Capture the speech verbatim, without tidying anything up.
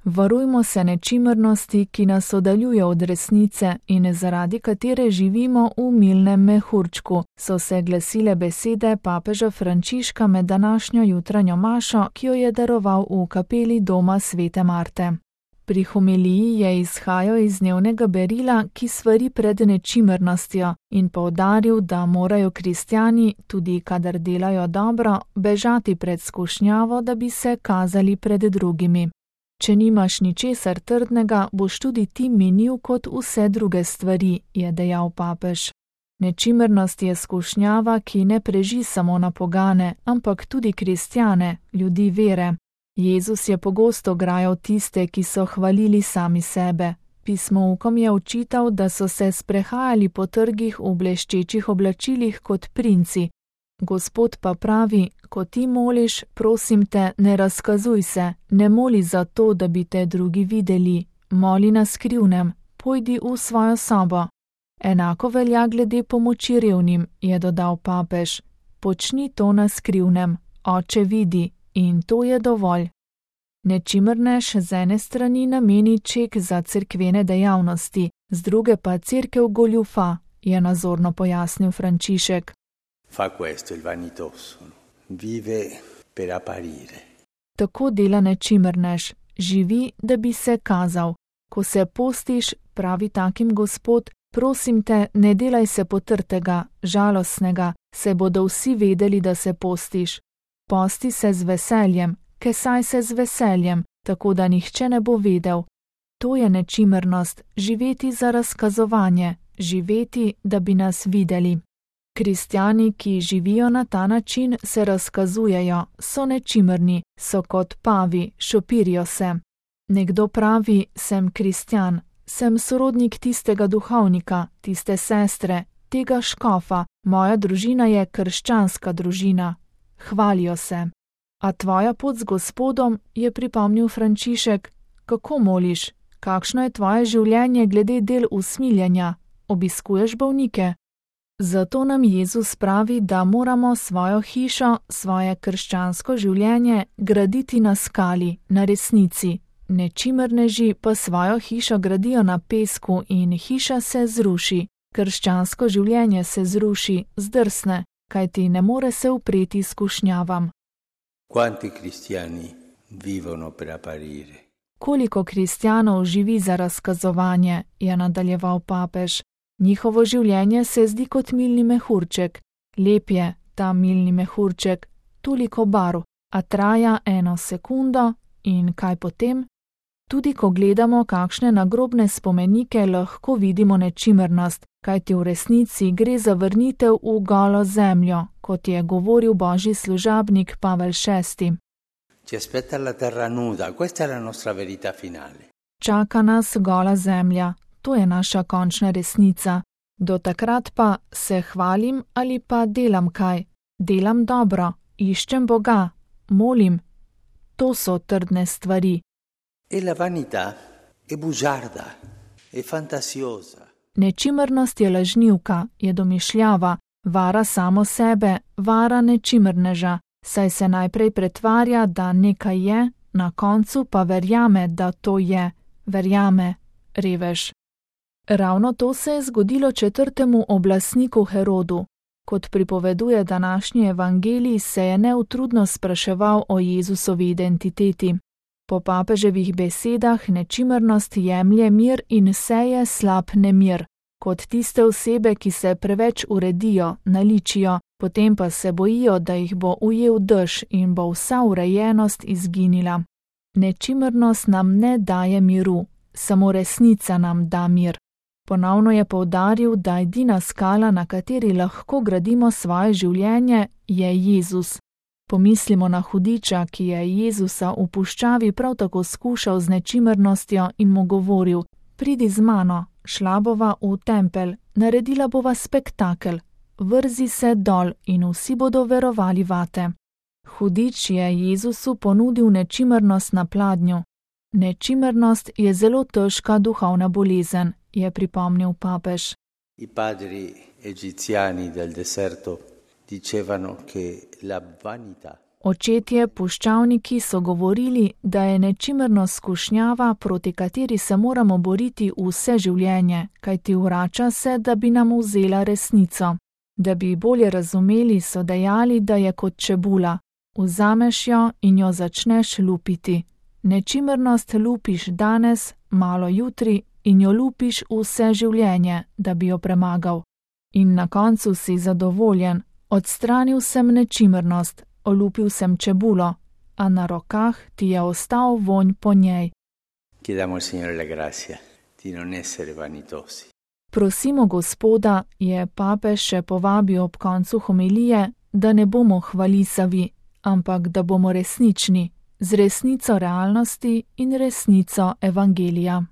Varujmo se nečimrnosti, ki nas oddaljuje od resnice in zaradi katere živimo v milnem mehurčku, so se glasile besede papeža Frančiška med današnjo jutranjo mašo, ki jo je daroval v kapeli doma svete Marte. Pri homiliji je izhajal iz dnevnega berila, ki svari pred nečimrnostjo, in poudaril, da morajo kristjani, tudi kadar delajo dobro, bežati pred skušnjavo, da bi se kazali pred drugimi. Če nimaš ničesar trdnega, boš tudi ti minil kot vse druge stvari, je dejal papež. Nečimrnost je skušnjava, ki ne preži samo na pogane, ampak tudi kristjane, ljudi vere. Jezus je pogosto grajal tiste, ki so hvalili sami sebe. Pismoukom je očital, da so se sprehajali po trgih v bleščečih oblačilih kot princi. Gospod pa pravi, ko ti moliš, prosim te, ne razkazuj se, ne moli za to, da bi te drugi videli, moli na skrivnem, pojdi v svojo sobo. Enako velja glede pomoči revnim, je dodal papež. Počni to na skrivnem, Oče vidi, in to je dovolj. Nečimrnež z ene strani nameni ček za cerkvene dejavnosti, z druge pa cerkev goljufa, je nazorno pojasnil Frančišek. Fa questo il vanitoso, vive per apparire. Tako dela nečimrnež, živi, da bi se kazal. Ko se postiš, pravi takim Gospod, prosim te, ne delaj se potrtega, žalostnega, se bodo vsi vedeli, da se postiš. Posti se z veseljem, kesaj se z veseljem, tako da nihče ne bo vedel. To je nečimrnost, živeti za razkazovanje, živeti, da bi nas videli. Kristjani, ki živijo na ta način, se razkazujejo, so nečimrni, so kot pavi, šopirijo se. Nekdo pravi, sem kristjan, sem sorodnik tistega duhovnika, tiste sestre, tega škofa, moja družina je krščanska družina. Hvalijo se. A tvoja pot z Gospodom, je pripomnil Frančišek, kako moliš, kakšno je tvoje življenje glede del usmiljenja, obiskuješ bolnike? Zato nam Jezus pravi, da moramo svojo hišo, svoje krščansko življenje graditi na skali, na resnici. Nečimrneži pa svojo hišo gradijo na pesku in hiša se zruši. Krščansko življenje se zruši, zdrsne, kajti ne more se upreti skušnjavam. Quanti cristiani vivono per apparire? Koliko kristjanov živi za razkazovanje, je nadaljeval papež. Njihovo življenje se zdi kot milni mehurček. Lep je ta milni mehurček, toliko barv, a traja eno sekundo in kaj potem? Tudi ko gledamo kakšne nagrobne spomenike, lahko vidimo nečimrnost, kajti v resnici gre za vrnitev v golo zemljo, kot je govoril božji služabnik Pavel šesti. Ci aspetta la terra nuda, questa è la nostra verità finale. Čaka nas gola zemlja, to je naša končna resnica. Do takrat pa se hvalim ali pa delam kaj, delam dobro, iščem Boga, molim. To so trdne stvari. E la vanità è bugiarda, è fantasiosa. Nečimrnost je lažnivka, je domišljava, vara samo sebe, vara nečimrneža, saj se najprej pretvarja, da nekaj je, na koncu pa verjame, da to je, verjame, revež. Ravno to se je zgodilo četrtemu oblastniku Herodu. Kot pripoveduje današnji evangelij, se je neutrudno spraševal o Jezusovi identiteti. Po papeževih besedah nečimrnost jemlje mir in seje slab nemir, kot tiste osebe, ki se preveč uredijo, naličijo, potem pa se bojijo, da jih bo ujel dež in bo vsa urejenost izginila. Nečimrnost nam ne daje miru, samo resnica nam da mir. Ponovno je poudaril, da edina skala, na kateri lahko gradimo svoje življenje, je Jezus. Pomislimo na hudiča, ki je Jezusa v puščavi prav tako skušal z nečimrnostjo in mu govoril: pridi z mano, šla bova v tempelj, naredila bova spektakel, vrzi se dol in vsi bodo verovali vate. Hudič je Jezusu ponudil nečimrnost na pladnju. Nečimrnost je zelo težka duhovna bolezen, je pripomnil papež. I padri egiziani del deserto dicevano che la vanità Očetje puščavniki so govorili, da je nečimrnost skušnjava, proti kateri se moramo boriti vse življenje, kajti vrača se, da bi nam vzela resnico. Da bi bolje razumeli, so dejali, da je kot čebula. Vzameš jo in jo začneš lupiti. Nečimrnost lupiš danes, malo jutri in jo lupiš vse življenje, da bi jo premagal. In na koncu si zadovoljen. Odstranil sem nečimrnost, olupil sem čebulo, a na rokah ti je ostal vonj po njej. Chiediamo al Signore la grazia di non essere vanitosi. Prosimo Gospoda, je papež še povabil ob koncu homilije, da ne bomo hvalisavi, ampak da bomo resnični, z resnico realnosti in resnico evangelija.